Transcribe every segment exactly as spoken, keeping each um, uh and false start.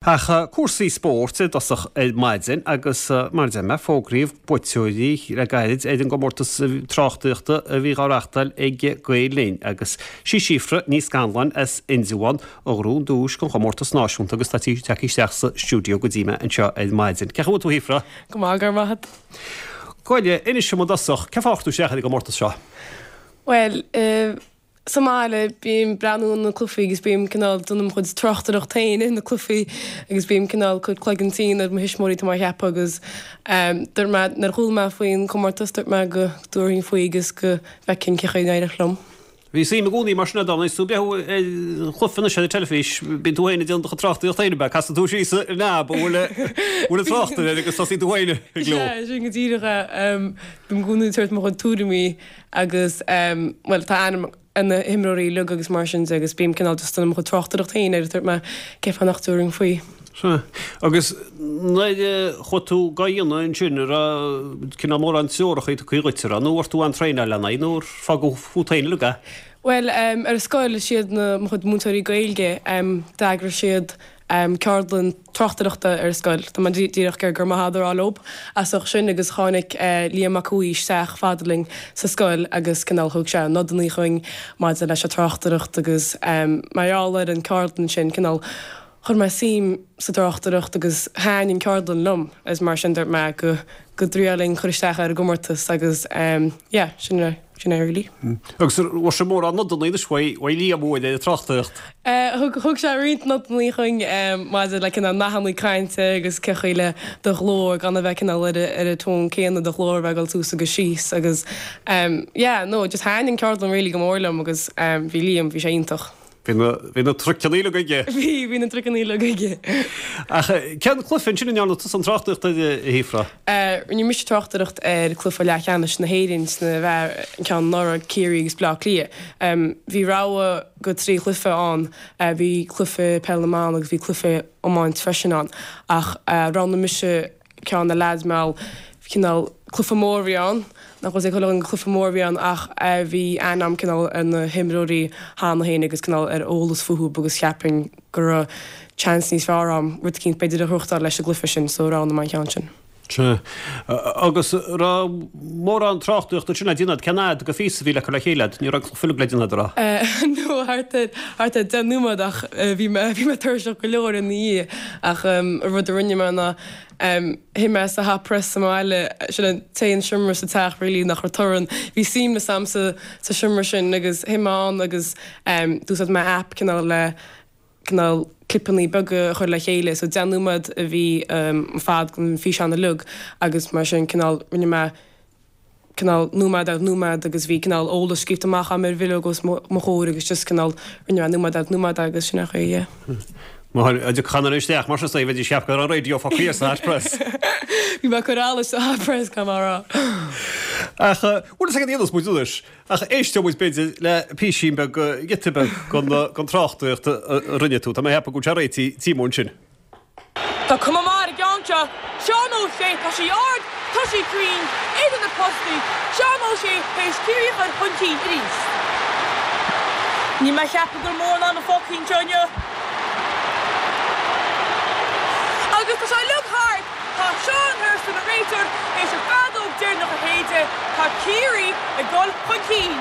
Ach cúrsaí spóirt i dtosach ar maidin agus mar a deir mé fógraíodh buaiteoirí le gairid ar an gcomórtas tráchtaíochta a bhí á reáchtáil ag Gael Linn agus sí Síofra Ní Scanláin as Indreabhán a ghnóthaigh an duais don chomórtas náisiúnta agus tá sí tagtha isteach sa stiúideo go dtí mé anseo ar maidin. Cén chaoi a bhfuil tú a Shíofra? Go maith, go raibh maith agat. Gabh i leith, inis dom i dtosach, cén fáth ar chuir tú isteach ar an gcomórtas seo? Bhuel, sa mbaile bím breathnú ar na cluichí agus bím cineál déanamh mo chuid tráchtaireacht féin ar na cluichí agus bím cineál cur cloigeann tinn ar mo thuismitheoirí tá mé a cheapadh agus dúirt mé nuair a chuala mé faoin comórtas dúirt mé go dtabharfainn faoi agus go bhfeicfinn cén chaoi a n-éireodh liom. Bhí suim i gcónaí mar sin agat agus tú ag breathnú ar chluiche anois ar an teilifís, bíonn tú féin ag déanamh do chuid tráchtaíocht féin ab ea? Casann tú síos an knob a bhfuil bhfuil an tráchtaire air agus tosaíonn tú féin ag gleo. Sea, sin go díreach é. Bím i gcónaí ag tabhairt mo chuid tuairimí agus bhuel tá aithne ar na himreoirí uilig agus mar sin de agus bím cineál just déanamh mo chuid tráchtaireacht féin air dúirt mé cén fáth nach dtabharfainn faoi. Sea. Agus nuair a chuaigh tú dhá dhéanamh ansin, an raibh cineál mórán treoracha tugtha dhuit, an raibh, nó ar tú an traenáil lena aghaidh nó ar fágadh fút féin uilig é? Bhuel, ar an scoil, is iad na, mo chuid múinteoirí Gaeilge, d'eagraigh siad ceardlann tráchtaireachta ar an scoil. Tá mé díreach ag iarraidh go raibh maith agat a rá leo as ucht sin agus tháinig Liam Mac Cumhaigh isteach fada linn sa scoil agus cineál thug sé nodanna chugainn maidir leis an tráchtaireacht agus mar gheall ar an ceardlann sin cineál chuir mé suim sa tráchtaireacht agus thaitin an ceardlann liom agus mar sin dúirt mé go go dtriailfinn cur isteach ar an gcomórtas agus yeah sin é sin é really. Agus an bhfuair sibh mórán nodanna anois uaidh Liam uaidh ar an tráchtaireacht? Thug thug sé roinnt nodanna chugainn maidir le cineál nathanna cainte agus cén chaoi le do ghlór gan a bheith cineál ar ar an tón céanna do ghlór a bheith ag dul suas agus síos agus yeah no just thaitin an ceardlann really go mór liom agus bhí Liam bhí sé iontach. Bhí na bhí na truiceanna uilig aige. Bhí, bhí na truiceanna uilig aige. Ach cén cluiche ansin a ndearna tusa an tráchtaireacht air, a Shíofra? Rinne mise tráchtaireacht ar cluiche leathcheannais na hÉireann sna bhfear, an ceann anuraidh, Ciarraí agus Bleá Cliath. Bhí rogha de trí chluiche ann, bhí cluiche peil na mban agus bhí cluiche iomáint freisin ann ach roghnaigh mise ceann na leaids mar cineál cluiche mór a bhí ann, nach bhfuil a fhios ag chuile dhuine gur cluiche mór a bhí ann ach bhí aithne agam cineál ar na himreoirí cheana féin agus cineál ar eolas fúthu agus cheapfainn go raibh chance níos fearr agam rud eicínt b'fhéidir a ghnóthachtáil leis an gcluiche sin so roghnaigh mé an ceann sin. Sea. Agus raibh mórán tráchtaireachta ansin le déanamh agat? Cén fhad de phíosa a bhí le cur le chéile agat? Ní raibh an cluiche uilig le déanamh agat, an raibh? No, thart ar, thart ar deich nóiméad ach bhí mé, bhí mé tuirseach go leor ina dhiaidh ach an rud a rinne mé ná Shuigh mé sa hot press sa mbaile, sin an t-aon seomra sa teach really nach raibh torann. Bhí suaimhneas a'm sa sa seomra sin agus shuigh mé ann agus d'úsáid mé app cineál le cineál clipeanna beaga a chur le chéile so deich nóiméad a bhí an fad den físeán uilig agus mar sin cineál rinne mé cineál nóiméad ar nóiméad agus bhí cineál eolas scríobhta amach agam ar bhileog os mo chomhair agus just cineál rinne mé nóiméad ar nóiméad agus sin é an chaoi, yeah. Má thiocfadh aon duine isteach mar sin is bheidís ag ceapadh go raibh an raidió fágtha thiar sa hot press. Bhí mé ag cur allais sa hot press, caithfidh mé a rá. Ach bhfuil fhios agat a dhéanfas muid anois ach éisteoidh muid b'fhéidir le písín beag, giota beag den tráchtaireacht a rinne tú. Tá mé ag ceapadh go bhfuil sé réitithe Tíomó ansin. Tá cuma maith ar an gceann seo. Seán Ó Sé, tá sí ard, tá sí cruinn, idir na postaí, Seán Ó Sé théis Ciarraí a chur chun cinn arís. Níl mé ag ceapadh go bhfuil mórán ama fágtha anseo inniu. Agus tá sé uilig thart, tá Seán Thurston, an réiteoir, théis an feadóg deireanach a shéideadh, tá Ciarraí ag dul chun cinn.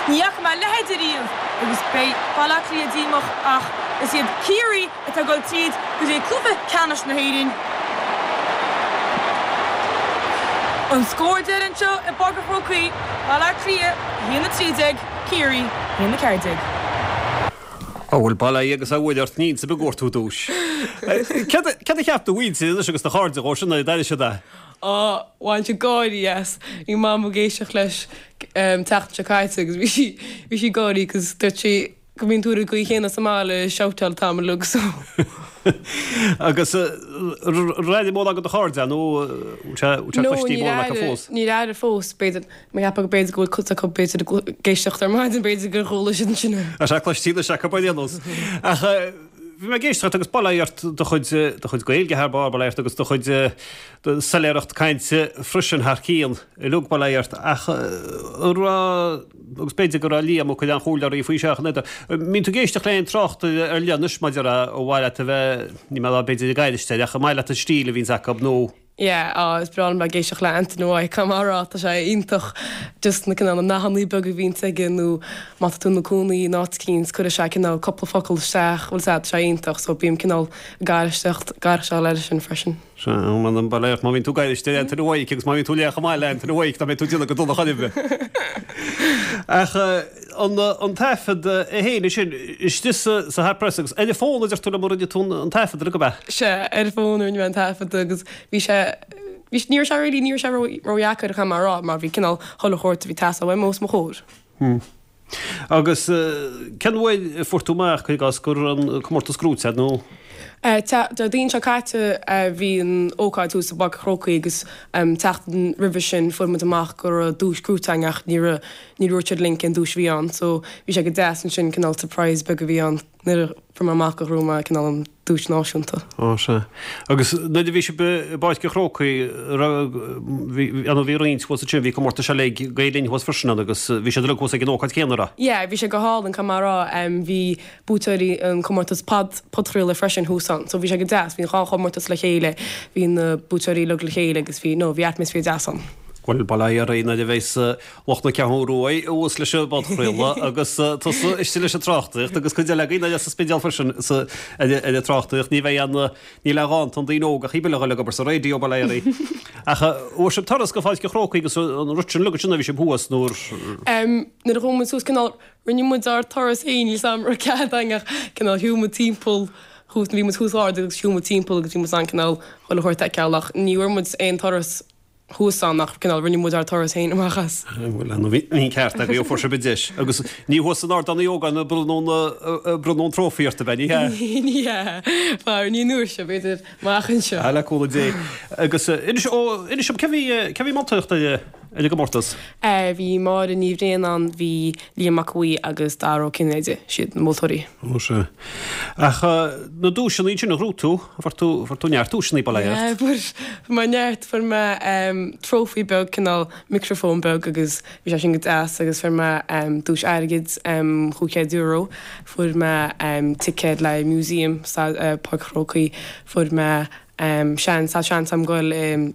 Ní fhaca mé a leithéid ariamh agus beidh Baile Átha Cliath díomách ach is iad Ciarraí atá ag dul tríd go dtí cluiche ceannais na hÉireann. An scór deiridh anseo i bPáirc an Chrócaigh, Baile Átha Cliath a haon a trí déag, Ciarraí a haon a ceathair déag. Á bhuel, bail ó Dhia agus ó Mhuire ort, ní inse beag a fuair tú duais. Céard a cheap do mhuintir anois agus do chairde dhó sin nuair a d'airigh siad é? Á, bhain siad gáirí as. Bhí Mam ag éisteacht leis an tseachtain seo caite agus bhí sí, bhí sí ag gáirí 'cause dúirt sí go mbíonn tú ar an gcaoi chéanna sa mbaile ag shoutáil an t-am uilig so. Agus ar airigh mórán de do chairde é nó bhfuil sé, bhfuil sé No, cloiste níor mórán acu airigh, fós? níor airigh fós. B'fhéidir, mé ag ceapadh go b'fhéidir go bhfuil cuid acu b'fhéidir ag éisteacht ar maidin, b'fhéidir gur chuala siad ansin é. Tá sé cloiste anois acu ar aon nós. Ach bhí Bhí mé ag éisteacht agus bail ó Dhia ort do chuid do chuid Gaeilge thar barr, bail ó Dhia ort agus do chuid soiléireacht cainte freisin thar cionn uilig, bail ó Dhia ort ach an raibh, agus b'fhéidir go raibh Liam Ó Cuirreáin Chúil Oraí faoi seach an fhada. Mbíonn tú ag éisteacht le haon tráchtaire ar leith anois maidir le ar mhaith leat a bheith, ní mé b'fhéidir ag éisteacht ach an maith leat an stíl a bhíonns acu nó Yeah, á, is breá liom bheith ag éisteacht le Antaine Ó caithfidh mé a rá, tá sé iontach just na cineál na nathanna beaga a bhíonns aige nó má tá tú ina cónaí in áit eicínt cuirfidh sé cineál cúpla focal isteach, bhfuil a fhios agat, tá sé iontach so bím cineál ag éisteacht, ag éisteacht leis sin freisin. Sea, m'anam bail ó Dhia ort má bhíonn tú ag éisteacht le Antaine Ó agus má bhíonn tú ag léamh chomh maith le Antaine Ó dá mbeidh tú ag déanamh go dona chor ar bith. Ach an an taifead é féin sin istigh sa sa hot press agus ar an bhfón a deir tú liom a rinne tú an taifead ar go Sea, ar an bhfón a rinne mé an taifead agus bhí sé, bhí, ní raibh sé really, ní raibh sé ró, ródheacair caithfidh mé a rá mar bhí cineál chuile shórt a bhí ag teastáil uaim os mo chomhair. Hmm. Agus cén uair a fuair tú amach, cuir i gcás, go raibh an comórtas gnóite agat nó? Déardaoin seo caite bhí an ócáid thuas i bPáirc an Chrócaigh agus tseachtain roimhe sin fuair muid amach go raibh duais gnóite againn ach ní raibh, ní dúirt siad linn cén duais a bhí ann so bhí sé go deas ansin cineál surprise beag a bhí ann. Nuair a fuair mé amach go raibh mé cineál an duais náisiúnta. Ó sea. Agus nuair a bhí sibh i bPáirc an Chrócaigh, raibh, bhí, an bhí roinnt thuas ansin, bhí comórtais eile ag Gael Linn thuas freisin ann agus bhí siad uilig thuas ag an ócáid chéanna, raibh? Yeah, bhí sé go hálainn, caithfidh mé a rá. Bhí buaiteoirí an comórtas pod, podchraoladh freisin thuas ann. So bhí sé go deas, bhí an dhá chomórtas le chéile, bhí na buaiteoirí uilig le chéile agus bhí, no, bhí atmaisféar deas ann. Bhuel, bail ó Dhia oraibh nuair a bheas lucht na Ceathrún Rua thuas leis an bpodchraoladh agus tusa istigh leis an tráchtaireacht agus cuid eile againn eile sa Spidéal freisin ar an tráchtaireacht. Ní bheidh aon, níl aon dhán don daoine óga ach iad uilig a dhul ag obair sa raidió, bail ó Dhia oraibh. Ach bhfuair sibh turas go Pháirc an Chrócaigh agus an rud sin uilig ansin a bhí sibh thuas nuair. Nuair a chuaigh muid suas cineál, rinne muid ár turas féin, níl 's a'm raibh cead againn ach cineál shiúil muid timpeall thuas, bhí muid thuas ard agus shiúil muid timpeall agus bhí muid in ann cineál chuile shórt a fheiceáil ach ní bhfuair muid aon turas thuas ann ach cineál rinne muid ár turas féin amach as. Bhuel, nó bhí an ceart agaibh, fuair sibh an deis. Agus ní thuas san Ardán Uí Ógáin a bronnadh an trófaí ort, ab ea? Ní hea? Ní hea. Faraor, ní an uair seo, b'fhéidir amach anseo. Ah, le cúnamh Dé. Agus inis, ó, inis dom, cé bhí, cé bhí ag moltóireacht ar an gcomórtas? Bhí Máire Ní Bhriain ann, bhí Liam Mac Aodha Bhuí agus Dara Ó Cinnéide, siad na moltóirí. Ó sea. Ach na duaiseanna sin a ghnóthaigh tú, fuair tú, fuair tú neart duaiseanna, bail ó Dhia ort. Fuair mé neart, fuair mé trófaí beag, cineál micreafón beag agus bhí sé sin go deas agus fuair mé duais airgid, chúig chéad euro, fuair mé ticéad le museum sa Páirc an Chrócaigh, fuair mé seans, tá seans agam goil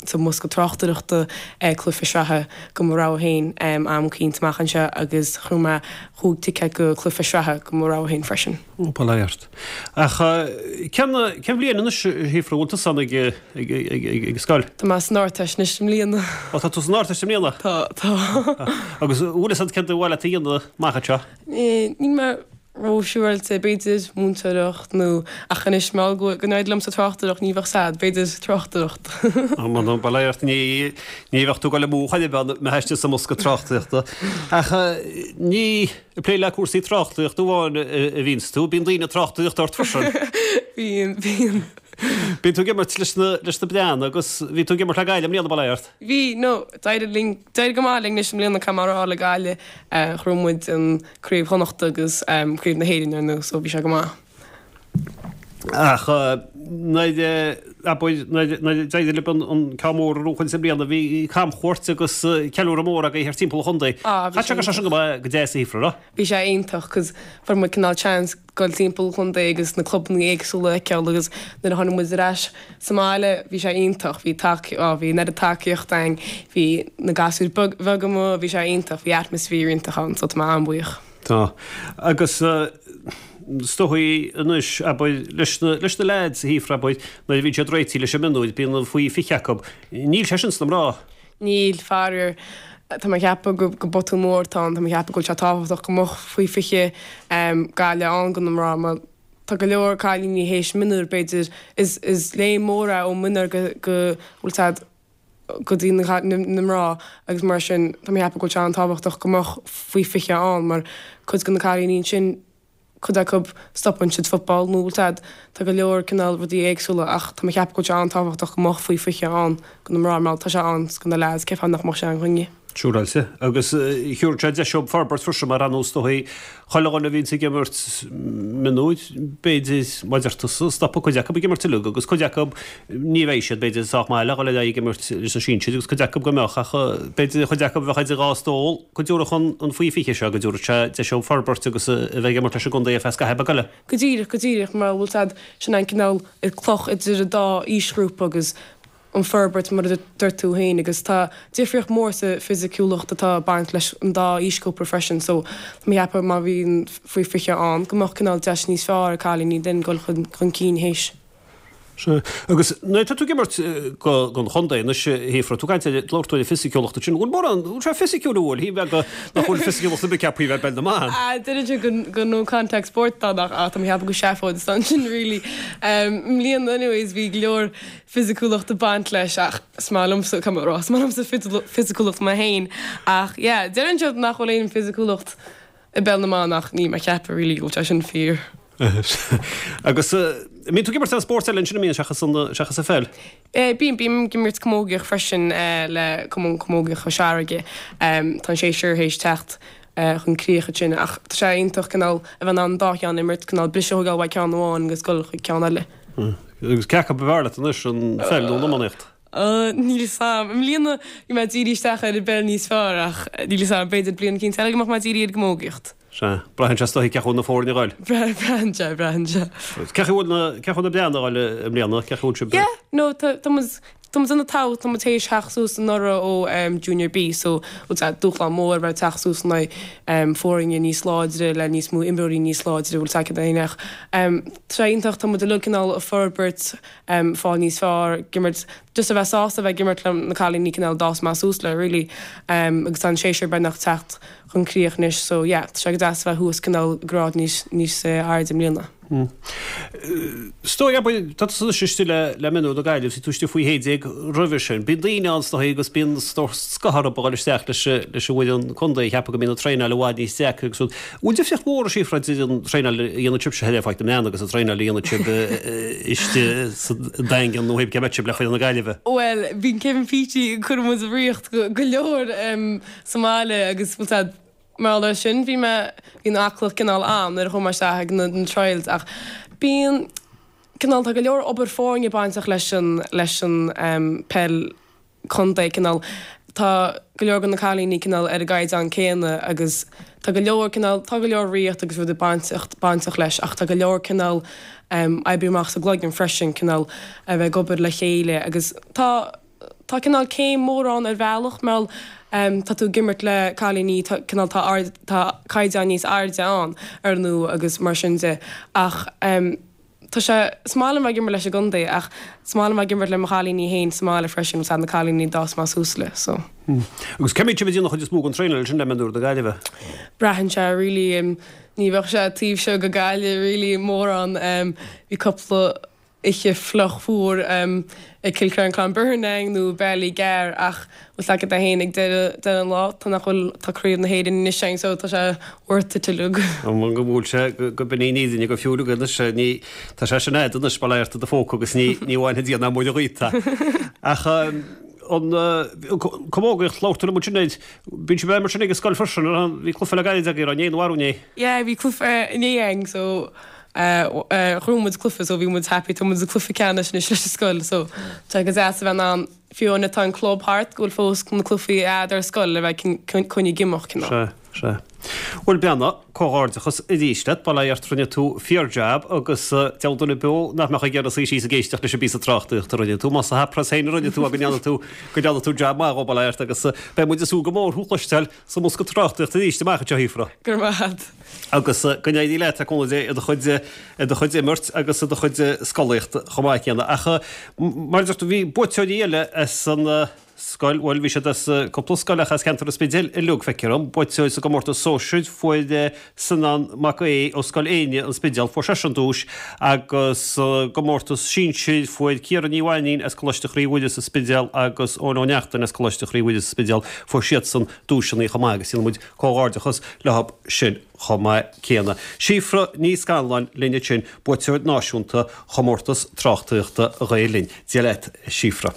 sa mbosca tráchtaireachta ag cluiche sraithe go mo rogha féin am eicínt amach anseo agus ghnóthaigh mé chúig ticéad go cluiche sraithe go mo rogha féin freisin. Ó, bail ó Dhia ort. Ach cén cén bhliain anois a Shíofra, bhfuil tusa ann ag ag ag ag scoil? Tá mé san Ardteist anois i mbliana. Ó, tá tú san Ardteist i mbliana? Tá, tá. Agus bhfuil fhios agat céard ar mhaith leat a dhéanamh amach anseo? Níl mé ró-siúráilte, b'fhéidir múinteoireacht nó, ach anois mar go go n-éireodh liom sa tráchtaireacht ní bheadh sad, b'fhéidir tráchtaireacht. M'anam bail ó Dhia ort, ní ní bheadh tú ag dul amú chor ar bith dá mbeifeá istigh sa mbosca tráchtaireachta. Ach ní ag plé le cúrsaí tráchtaireachta amháin a bhíonns tú, bíonn daoine ag tráchtaireacht ort freisin. Bíonn, bíonn. Bíonn tú ag imirt leis na leis na Breathnaigh agus bhí tú ag imirt le Gaillimh i mbliana, bail ó Dhia ort. Bhí, no, d'éirigh linn, d'éirigh go maith linn anois i mbliana caithfidh mé a rá le Gaillimh, ghnóthaigh muid an Craobh Chonnachta agus Craobh na hÉireann ar ndóigh, so bhí sé go maith. Ach nuair a, abair, nuair a d'éirigh libh an ceann mór a bhuachaint i mbliana, bhí camchuairt agus ceiliúradh mór agaibh thart timpeall an chontae. Ah, bhí Chaith sé sé sin go maith, go deas a Shíofra, raibh? Bhí sé iontach 'cause fuair muid cineál chance goil timpeall an chontae agus na clubanna éagsúla a fheiceáil agus nuair a tháinig muid ar ais sa mbaile bhí sé iontach, bhí tac, á bhí an oiread tacaíocht againn, bhí na gasúir beag, bheaga amuigh, bhí sé iontach, bhí atmaisféar iontach ann so tá mé an-bhuíoch. Tá. Agus is dóigh anois, abair, leis na, leis na leaids a Shíofra, abair, nuair a bhíonn siad réitithe leis an mionúir, bíonn faoi fiche acu. Níl sé sin sna mná. Níl, faraor. Tá mé ag ceapadh go, go botún mór atá ann, tá mé ag ceapadh go bhfuil sé tábhachtach go mbeadh faoi fiche Gaillimh ann go na mná mar tá go leor cailíní théis mionúir b'fhéidir, is, is léim mór é ó mionúir go, go bhfuil siad go dtí na, na mná agus mar sin tá mé ag ceapadh go bhfuil sé an-tábhachtach go mbeadh faoi fiche ann mar cuid de na cailíní ansin cuid acu stopann siad football nó bhfuil siad, tá go leor cineál rudaí éagsúla ach tá mé ag ceapadh go bhfuil sé an-tábhachtach go mbeadh faoi fiche ann go na mná mar tá sé ann go na lads, cén fáth nach mbeadh sé ann againne? Siúráilte. Agus thiúrfadh sé deis dóibh forbairt freisin mar ar nós is dóigh chuile dhuine a bhíonns ag imirt mionúir, b'fhéidir, mar a deir tusa, stopfaidh cuid acu ag imirt uilig agus cuid acu ní bheidh siad b'fhéidir sách maith le dhul ar aghaidh ag imirt leis na sinsir agus cuid acu go mbeadh ach b'fhéidir chuid acu a bheadh idir dhá stól go dtiúrfadh an faoi fiche seo go dtiúrfadh sé deis dóibh forbairt agus a bheith ag imirt leis an gcontae ar feadh scaitheamh beag eile. Go díreach, go díreach, mar bhfuil siad sin an cineál cloch idir an dá aoisghrúpa agus an forbairt mar a dúirt tú féin agus tá difríocht mór sa fisiciúlacht atá ag baint leis an dá aoisghrúpa freisin so tá mé ag ceapadh má bhíonn faoi fiche ann go mbeadh cineál deis níos fearr ag cailíní den dul chun chun cinn théis. Sea. Agus nuair atá tú ag imirt don chontae anois, a Shíofra, tú ag caint ar labhair tú ar an fisiciúlacht ansin, bhfuil mórán, bhfuil sé fisiciúil an bhfuil, shíl mé go nach bhfuil fisiciúlacht ar bith ceaptha a bheith i bpeil na mban. Ah, deireann siad go go no contact sport atá ann ach tá mé ag ceapadh gur seafóid atá ansin really. I mbliana anyways bhí go leor fisiciúlacht ag baint leis ach is maith liomsa, caithfidh mé a rá, is maith liomsa fisiciúlacht mé féin ach yeah, deireann siad nach bhfuil aon fisiciúlacht i bpeil na mban ach níl mé ag ceapadh really go bhfuil sé sin fíor. Agus an mbíonn tú ag imirt aon spórt eile ansin an mbíonn seachas an seachas an pheil? Eh, bím, bím ag imirt camógaíocht freisin eh, le Cumann Camógaíocht Chois Fharraige. Tá an séasúr théis teacht chun críoch ansin ach tá sé iontach cineál a bheith in ann an dá cheann a imirt, cineál briseadh a thógáil uaidh ceann amháin agus dul chuig ceann eile. Agus cé acu ba bhfearr leat anois, an pheil nó an iománaíocht? Níl 'fhios a'm. I mbliana bhí mé ag díriú isteach ar an bpeil níos fearr ach níl 'fhios a'm, b'fhéidir bliain eicínt eile go mbeadh mé ag díriú ar an gcamógaíocht. Sea. Braitheann sé is dóigh cén chaoi a bhfuil na foirne ag goil. Braitheann sé, braitheann sé. Cén chaoi a bhfuil na, cén chaoi a bhfuil na Breathnaigh ag goil i mbliana, cén chaoi a bhfuil sibh? Yeah, no, tá, tá muid, Tá muid ana-thábhachtach, tá muid théis theacht suas anuraidh ó Junior B so dúshlán mór a bheith ag teacht suas in aghaidh foirne níos láidre le níos mó imreoirí níos láidre bhfuil a fhios agat ach tá sé iontach, tá muid uilig cineál ag forbairt, fáil níos fearr, ag imirt, just a bheith sásta a bheith ag imirt le na cailíní cineál a d'fhás mé suas le really agus tá an séasúr beagnach teacht chun críoch anois so yeah tá sé go deas a bheith thuas cineál grád níos níos airde i mbliana. Is dóigh, abair, tá tusa anois istigh le le mionúir na Gaillimhe, bhí tú istigh faoi shé déag roimhe sin. Bíonn daoine ann, is dóigh, agus bíonn scáth orthu a dhul isteach leis leis an bhfoireann contae, ag ceapadh go mbíonn an traenáil i bhfad níos deacra agus rud. Bhfuil difríocht mhór, a Shíofra, idir an traenáil a dhéanann sibhse thoir ar Pháirc na mBreathnach agus an traenáil a dhéanann sibh istigh sa Daingean nó cé mbeadh sibh le foireann na Gaillimhe? Bhuel, bíonn Kevin Petey ag cur muid i riocht go leor sa mbaile agus bhfuil a fhios agat, Mar gheall air sin, bhí mé, bhí an aclaíocht cineál ann nuair a chuaigh mé isteach ag na trials ach bíonn cineál, tá go leor obair foirne bainteach leis an, leis an peil contae, cineál, tá go leor de na cailíní cineál ar an gcaighdeán céanna agus tá go leor cineál, tá go leor riocht agus rudaí bainteach, bainteach leis ach tá go leor cineál oibriú amach sa gcloigeann freisin, cineál a bheith ag obair le chéile agus tá, Tá cineál céim mhór ann ar bhealach mar tá tú ag imirt le cailíní tá cineál tá ard tá caighdeán níos airde ann ar ndóigh agus mar sin de ach tá sé is maith liom bheith ag imirt leis an gcontae ach is maith liom bheith ag imirt le mo chailíní féin sa mbaile freisin agus na cailíní a d'fhás mé suas le so. Agus cá mbíonn sibh ag déanamh an chuid is mó den traenáil sin le mionúir na Gaillimhe? Braitheann sé really ní bheadh sé taobh seo go Gaillimh really mórán bhí cúpla oíche fliuch fuar ag Cill Chainnigh Clonbinane againn nó bealaí gearr ach bhfuil a fhios agat féin ag deireadh deireadh an lá tá nach bhfuil tá craobh na hÉireann anois againn so tá sé worth it uilig. An go bhfuil sé go b'in í an fhírinne go fiú anois ní tá sé sin a'd anois bail ó Dhia ort i do phóca agus ní ní bhainfidh Dia ná Muire dhíot é. Ach an camógaíocht labhair tú liom ansin air bíonn sibh ag imirt sin ag an scoil freisin an bhí cluiche le gairid agaibh inné nó arú inné? Yeah bhí cluiche inné againn so Ghnóthaigh muid cluiche so bhí muid happy, tá muid sa cluiche ceannais anois leis an scoil so tá sé go deas a bheith in ann fiú nuair atá an club thart go bhfuil fós na cluichí a'd ar scoil le bheith coinnithe ag imeacht cineál. Sea, sea. Bhuel Breandán, comhghairdeachas arís leat, bail ó Dhia ort rinne tú fíor-jab agus deabhal duine beo nach mbeadh ag iarraidh suí síos ag éisteacht leis an bpíosa tráchtaireachta a rinne tú, más sa Hot Press féin a rinne tú go ndearna tú, go ndearna tú jab maith dhó, bail ó Dhia ort agus beidh muid ag súil go mór thú a chloisteáil sa mbosca tráchtaireachta arís amach anseo, a Shíofra. Go raibh maith a't. Agus go n-éirí leat, le cúnamh Dé, i do chuid, i do chuid imirt agus i do chuid scolaíochta chomh maith céanna. Ach mar a deir tú, bhí buaiteoirí eile as an scoil, bhuel, bhí siad as cúpla scoil ach as ceantar an Spidéil uilig, feictear dom. Buaiteoir sa gcomórtas sóisir, fuair Seanán Mac Aoidh ó Scoil Éinne, An Spidéal, fuair seisean duais agus sa gcomórtas sinsir, fuair Ciara Ní Mhainín as Coláiste Chroí Mhuire sa Spidéal agus Eoin Ó Neachtain as Coláiste Chroí Mhuire sa Spidéal, fuair siadsan duaiseanna chomh maith agus déanann muid comhghairdeachas leo sin chomh maith céanna. Síofra Ní Scanláin linn ansin, buaiteoir náisiúnta chomórtas tráchtaireachta Ghael Linn. Dia leat, a Shíofra.